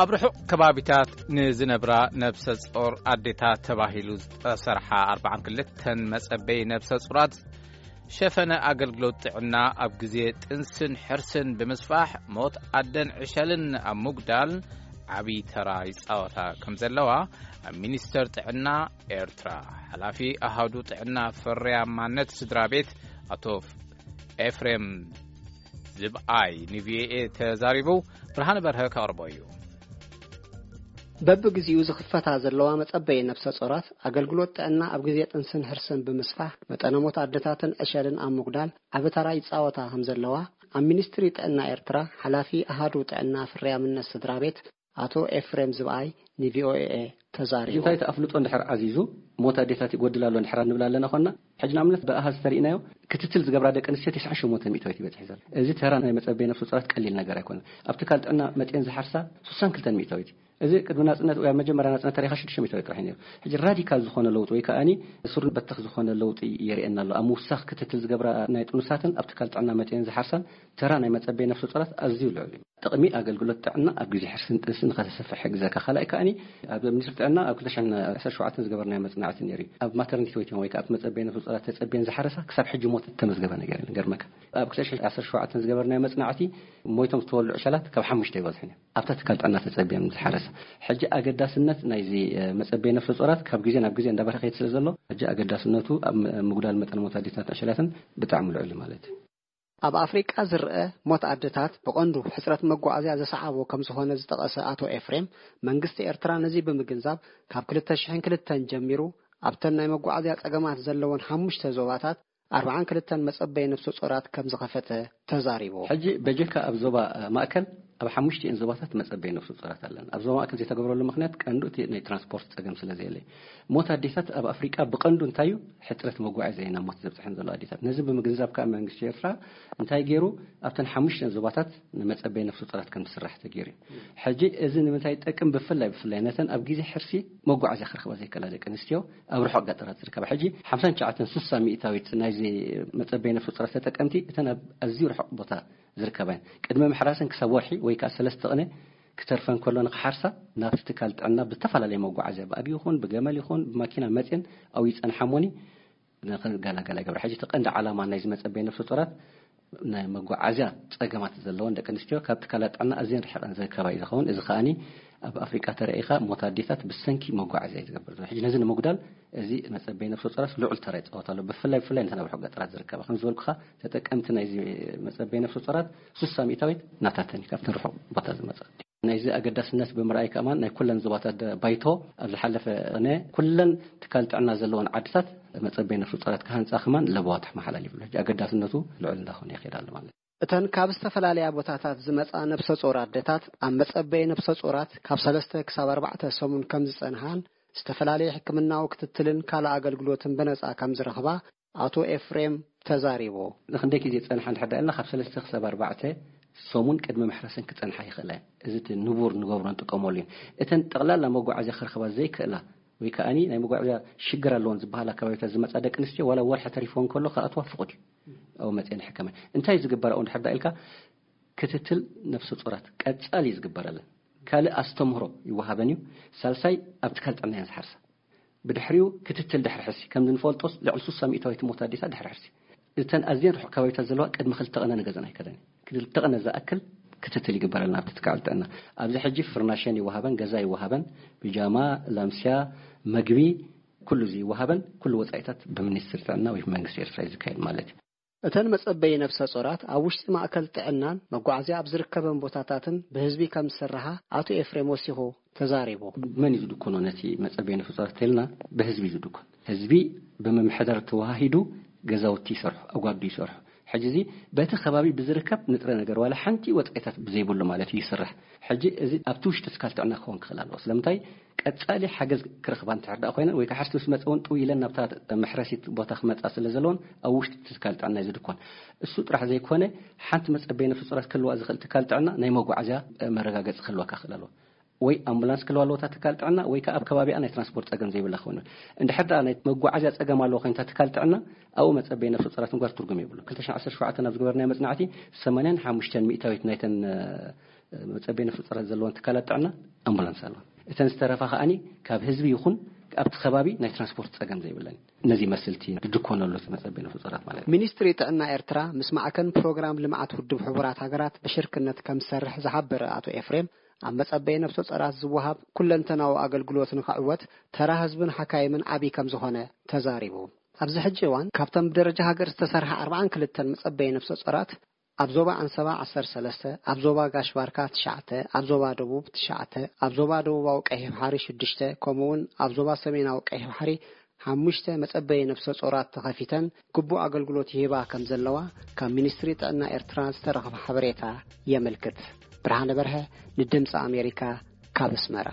ኣብ ርሑቕ ከባቢታት ንዝነብራ ነብሰ ጾር ኣዴታት ተባሂሉ ዝተሰርሓ ኣርባዓን ክልተን መጸበይ ነብሰ ጾራት ሸፈነ ኣገልግሎት ጥዕና ኣብ ግዜ ጥንስን ሕርስን ብምስፋሕ፣ ሞት ኣደን ዕሸልን ኣብ ምጉዳል ዓቢ ተራ ይጻወታ ከም ዘለዋ ኣብ ሚኒስተር ጥዕና ኤርትራ ሓላፊ ኣሃዱ ጥዕና ፍርያማነት ስድራ ቤት ኣቶ ኤፍሬም ዝብኣይ ንቪኦኤ ተዛሪቡ። ብርሃነ በርሀ ከቕርቦ እዩ። በብግዜኡ ዝኽፈታ ዘለዋ መጸበይ ነብሰ ጾራት ኣገልግሎት ጥዕና ኣብ ግዜ ጥንስን ሕርስን ብምስፋሕ፣ መጠነ ሞት ኣደታትን ዕሸልን ኣብ ምጉዳል ዓቢ ተራ ይጻወታ ከም ዘለዋ ኣብ ሚኒስትሪ ጥዕና ኤርትራ ሓላፊ ኣሃዱ ጥዕና ፍርያምነት ስድራ ቤት ኣቶ ኤፍሬም ዝብኣይ ንቪኦኤ ተዛሪቡ። እንታይ እቲ ኣፍልጦ እንድሕር ዓዚዙ፣ ሞት ኣዴታት ይጎድል ኣሎ እንድሕር ንብል ኣለና ኾንና፣ ሕጂ ንኣብነት ብኣሃዝ ተሪእናዮ፣ ክትትል ዝገብራ ደቂ ኣንስትዮ ተስዓን ሸሞንተን ሚእታዊት ይበጽሕ ዘሎ። እዚ ተራ ናይ መጸበይ ነፍሰ ጾራት ቀሊል ነገር ኣይኮነን። ኣብ ትካል ጥዕና መጽኤን ዝሓርሳ ስሳን ክልተን ሚእታዊት። እዚ ቅድሚ ናጽነት ወይ ኣብ መጀመርያ ናጽነት ተሪኻ ሽዱሽተ ሚእታዊት ጥራሕ እዩ ነይሩ። ሕጂ ራዲካል ዝኾነ ለውጢ ወይ ከኣኒ ስሩን በተኽ ዝኾነ ለውጢ የርእየና ኣሎ። ኣብ ምውሳኽ ክትትል ዝገብራ ናይ ጥኑሳትን ኣብ ትካል ጥዕና መጽኤን ዝሓርሳን ተራ ናይ መጸበይ ነፍሰ ጾራት ኣዝዩ ልዑል እዩ። ጥቕሚ ኣገልግሎት ጥዕና ኣብ ግዜ ሕርስን ጥንስን ንኸተሰፍሕ ይሕግዘካ። ካልኣይ ከኣኒ ኣብ ሚኒስትሪ ጥዕና ኣብ ክልተ ሽሕን ዓሰርተ ሸውዓተን ዝገበርናዮ መጽናዕቲ ነይሩ እዩ። ኣብ ማተርኒቲ ዌይቲንግ ወይ ከኣ ኣብቲ መጸበይ ነፍሰ ጾራት ተጸብየን ዝሓረሳ ክሳብ ሕጂ ሞት እተመዝገበ ነገር የለን። ገርመካ ኣብ ክልተ ሽሕን ዓሰርተ ሸውዓተን ዝገበርናዮ መጽናዕቲ ሞይቶም ዝተወልዑ ዕሸላት ካብ ሓሙሽተ ኣይበዝሑን እዮም። ኣብታ ትካል ጥዕና ተጸብየን ዝሓረሳ። ሕጂ ኣገዳስነት ናይዚ፣ እ፣ መጸበይ ነፍሰ ጾራት ካብ ግዜ ናብ ግዜ እንዳበረኸ ይኸይድ ስለ ዘሎ፣ ሕጂ ኣገዳስነቱ ኣብ ም-፣ ምጉዳል መጠን ሞት ኣዴታት ዕሸላትን ብጣዕሚ ልዑል እዩ ማለት እዩ። ኣብ ኣፍሪቃ ዝረኣ ሞት ኣደታት ብቐንዱ ሕጽረት መጓዓዝያ ዘሰዓቦ ከም ዝኾነ ዝጠቐሰ ኣቶ ኤፍሬም፣ መንግስቲ ኤርትራ ነዚ ብምግንዛብ ካብ ክልተ ሽሕን ክልተን ጀሚሩ ኣብተን ናይ መጓዓዝያ ጸገማት ዘለወን ሓሙሽተ ዞባታት ኣርባዓን ክልተን መጸበይ ነፍሰ ጾራት ከም ዝኸፈተ ተዛሪቡ። ሕጂ በጀካ ኣብ ዞባ፣ እ፣ ማእከል ኣብ ሓሙሽቲኤን ዞባታት መጸበይ ነፍሰ ጾራት ኣለና። ኣብ ዞባ ማእከል ዘይተገብረሉ ምኽንያት ቀንዱ እቲ ናይ ትራንስፖርት ጸገም ስለ ዘየለ እዩ። ሞት ኣዴታት ኣብ ኣፍሪቃ ብቐንዱ እንታይ እዩ? ሕጽረት መጓዓዝያ እዩ ናብ ሞት ዘብጽሐን ዘሎ ኣዴታት። ነዚ ብምግንዛብ ከኣ መንግስቲ ኤርትራ እንታይ ገይሩ? ኣብተን ሓሙሽተን ዞባታት ንመጸበይ ነፍሰ ጾራት ከም ዝስራሕ ተገይሩ እዩ። ሕጂ እዚ ንምንታይ ይጠቅም? ብፍላይ፣ ብፍላይ ነተን ኣብ ግዜ ሕርሲ መጓዓዝያ ክረኽባ ዘይከላ ደቂ ኣንስትዮ ኣብ ርሑቕ ገጠራት ዝርከባ። ሕጂ ሓምሳን ትሽዓተን ስሳ ሚእታዊት ናይዚ መጸበይ ነፍሰ ጾራት ተጠቀምቲ እተን ኣብ ኣዝዩ ርሑቕ ቦታ ዝርከባ እየን። ቅድሚ ምሕራሰን ክሳብ ወርሒ ወይ ከኣ ሰለስተ ቅነ ክተርፈን ከሎ ንኽሓርሳ ናብቲ ትካል ጥዕና ብዝተፈላለየ መጓዓዝያ፣ ብኣድጊ ይኹን ብገመል ይኹን ብማኪና መጽየን ኣብኡ ይጸንሓሞኒ ንኽገላገላ ይገብራ። ሕጂ እቲ ቀንዲ ዓላማ ናይዚ መጸበይ ነፍሰ ጾራት ናይ መጓዓዝያ ጸገማት ዘለወን ደቂ ኣንስትዮ ካብ ትካላት ጥዕና ኣዝየን ርሒቐን ዝርከባ እዩ ዝኸውን። እዚ ከኣኒ ኣብ ኣፍሪቃ ተረኢኻ ሞት ኣዴታት ብሰንኪ መጓዓዝያ እዩ ዝገብር ዘሎ። ሕጂ ነዚ ንምጉዳል እዚ መጸበይ ነፍሰ ጾራት ልዑል ተራ ይጻወት ኣሎ። ብፍላይ፣ ብፍላይ ነተን ኣብ ርሑቕ ገጠራት ዝርከባ። ከም ዝበልኩኻ ተጠቀምቲ ናይዚ መጸበይ ነፍሰ ጾራት ስሳ ሚእታዊት ናታተን እዩ፣ ካብተን ርሑቕ ቦታ ዝመጻ። ናይዚ ኣገዳስነት ብምርኣይ ከማን ናይ ኩለን ዞባታት ደ-፣ ባይቶ ኣብ ዝሓለፈ ቅነ ኩለን ትካል ጥዕና ዘለወን ዓድታት መጸበይ ነፍሰ ጾራት ክሃንጻ ከማን ለበዋ ተመሓላሊፉ ኣሎ። ሕጂ ኣገዳስነቱ ልዑል እንዳኾነ ይኸይድ ኣሎ ማለት እዩ። እተን ካብ ዝተፈላለያ ቦታታት ዝመጻ ነብሰ ጾር ኣደታት ኣብ መጸበይ ነብሰ ጾራት ካብ ሰለስተ ክሳብ ኣርባዕተ ሰሙን ከም ዝጸንሃን ዝተፈላለየ ሕክምናዊ ክትትልን ካልእ ኣገልግሎትን ብነጻ ከም ዝረኽባ ኣቶ ኤፍሬም ተዛሪቡ። ንክንደይ ግዜ ጸንሓ እንድሕር ደኣ ኢልና፣ ካብ ሰለስተ ክሳብ ኣርባዕተ ሰሙን ቅድሚ ምሕራሰን ክጸንሓ ይኽእላ እየን። እዚ እቲ ንቡር ንገብሮ ንጥቀመሉ እዩ። እተን ጠቕላላ መጓዓዝያ ክረኽባ ዘይክእላ ወይ ከኣኒ ናይ መጓዓዝያ ሽግር ኣለዎን ዝበሃላ ከባቢታት ዝመጻ ደቂ ኣንስትዮ ዋላ ወርሒ ተሪፍወን ከሎ ክኣትዋ ፍቑድ እዩ። ኣብኡ መጺኤን ይሕከማ። እንታይ ዝግበር ኣብኡ እንድሕር ደኣ ኢልካ፣ ክትትል ነፍሰ ጾራት ቀጻሊ እዩ ዝግበረለን። ካልእ ኣስተምህሮ ይወሃበን እዩ። ሳልሳይ ኣብ ትካል ጥዕና እየን ዝሓርሳ። ብድሕሪኡ ክትትል ድሕሪ ሕርሲ፣ ከም እንፈልጦስ ልዕሊ ስሳ ሚእታዊት ሞት ኣዴታት ድሕሪ ሕርሲ። እተን ኣዝየን ርሑቕ ከባቢታት ዘለዋ ቅድሚ ክልተ ቅነ ንገዝኣን ኣይከዳን። ክልተ ቅነ ዝኣክል ክትትል ይግበረልና ኣብቲ ትካል ጥዕና። ኣብዚ ሕጂ ፍርናሸን ይወሃበን፣ ገዛ ይወሃበን፣ ቢጃማ፣ ላምስያ፣ መግቢ፣ ኩሉ እዚ ይወሃበን፣ ኩሉ ወጻኢታት ብሚኒስትሪ ጥዕና ወይ ብመንግስቲ ኤርትራ እዩ ዝካየድ ማለት እዩ። እተን መጸበይ ነፍሰ ጾራት ኣብ ውሽጢ ማእከል ጥዕናን መጓዓዝያ ኣብ ዝርከበን ቦታታትን ብህዝቢ ከም ዝስርሓ ኣቶ ኤፍሬም ወሲኹ ተዛሪቡ። መን እዩ ዝድኩኖ ነቲ መጸበይ ነፍሰ ጾራት ተልና? ብህዝቢ እዩ ዝድኩን። ህዝቢ ብምምሕዳር ተወሃሂዱ ገዛውቲ ይሰርሑ፣ ኣጓዱ ይሰርሑ። ሕጂ እዚ በቲ ከባቢ ብዝርከብ ንጥረ ነገር ዋላ ሓንቲ ወጻኢታት ብዘይብሉ ማለት እዩ ይስራሕ። ሕጂ እዚ ኣብቲ ውሽጢ ትካል ጥዕና ክኸውን ክኽእል ኣለዎ። ስለምንታይ? ቀጻሊ ሓገዝ ክረኽባ እንድሕር ደኣ ኮይነን ወይ ከዓ ሕርሲ ምስ መጸ እውን ጥው ኢለን ናብታ መሕረሲት ቦታ ክመጻ ስለ ዘለዎን ኣብ ውሽጢ ትካል ጥዕና እዩ ዝድኮን። እሱ ጥራሕ ዘይኮነ ሓንቲ መጸበይ ነፍሰ ጾራት ክህልዋ ዝኽእል ትካል ጥዕና ናይ መጓዓዝያ መረጋገጺ ክህልወካ ክኽእል ኣለዎ። ወይ ኣምቡላንስ ክህልዋ ኣለዎ እታ ትካል ጥዕና ወይ ከዓ ኣብ ከባቢኣ ናይ ትራንስፖርት ጸገም ዘይብላ ክኸውን። እንድሕር ደኣ ናይ መጓዓዝያ ጸገም ኣለዎ ኮይንታ ትካል ጥዕና ኣብኡ መጸበይ ነፍሰ ጾራት ምግባር ትርጉም የብሉ። ክልተ ሽሕን ዓሰርተ ሸውዓተን ኣብ ዝገበርናዮ መጽናዕቲ ሰማንያን ሓሙሽተን ሚእታዊት ናይተን መጸበይ ነፍሰ ጾራት ዘለዎን ትካላት ጥዕና ኣምቡላንስ ኣለዋ። እተን ዝተረፋ ከኣኒ ካብ ህዝቢ ይኹን ኣብቲ ከባቢ ናይ ትራንስፖርት ጸገም ዘይብለን፣ ነዚ መስልቲ ድድኮነሉ መጸበይ ነፍሰ ጾራት ማለት እዩ። ሚኒስትሪ ጥዕና ኤርትራ ምስ ማዕከን ፕሮግራም ልምዓት ውድብ ሕቡራት ሃገራት ብሽርክነት ከም ዝሰርሕ ዝሓበረ ኣቶ ኤፍሬም፣ ኣብ መጸበይ ነፍሰ ጾራት ዝወሃብ ኩለንተናዊ ኣገልግሎት ንክዕወት ተራ ህዝብን ሓካይምን ዓቢ ከም ዝኾነ ተዛሪቡ። ኣብዚ ሕጂ እዋን ካብተን ብደረጃ ሃገር ዝተሰርሓ ኣርባዓን ክልተን መጸበይ ነፍሰ ጾራት ኣብ ዞባ ኣንሰባ ዓሰርተ ሰለስተ፣ ኣብ ዞባ ጋሽ ባርካ ትሽዓተ፣ ኣብ ዞባ ደቡብ ትሽዓተ፣ ኣብ ዞባ ደቡባዊ ቀይሕ ባሕሪ ሽዱሽተ፣ ከምኡውን ኣብ ዞባ ሰሜናዊ ቀይሕ ባሕሪ ሓሙሽተ መጸበይ ነፍሰ ጾራት ተኸፊተን ግቡእ ኣገልግሎት ይህባ ከም ዘለዋ ካብ ሚኒስትሪ ጥዕና ኤርትራ ዝተረኸበ ሓበሬታ የመልክት። ብርሃነ በርሀ ንድምፂ ኣሜሪካ ካብ ኣስመራ።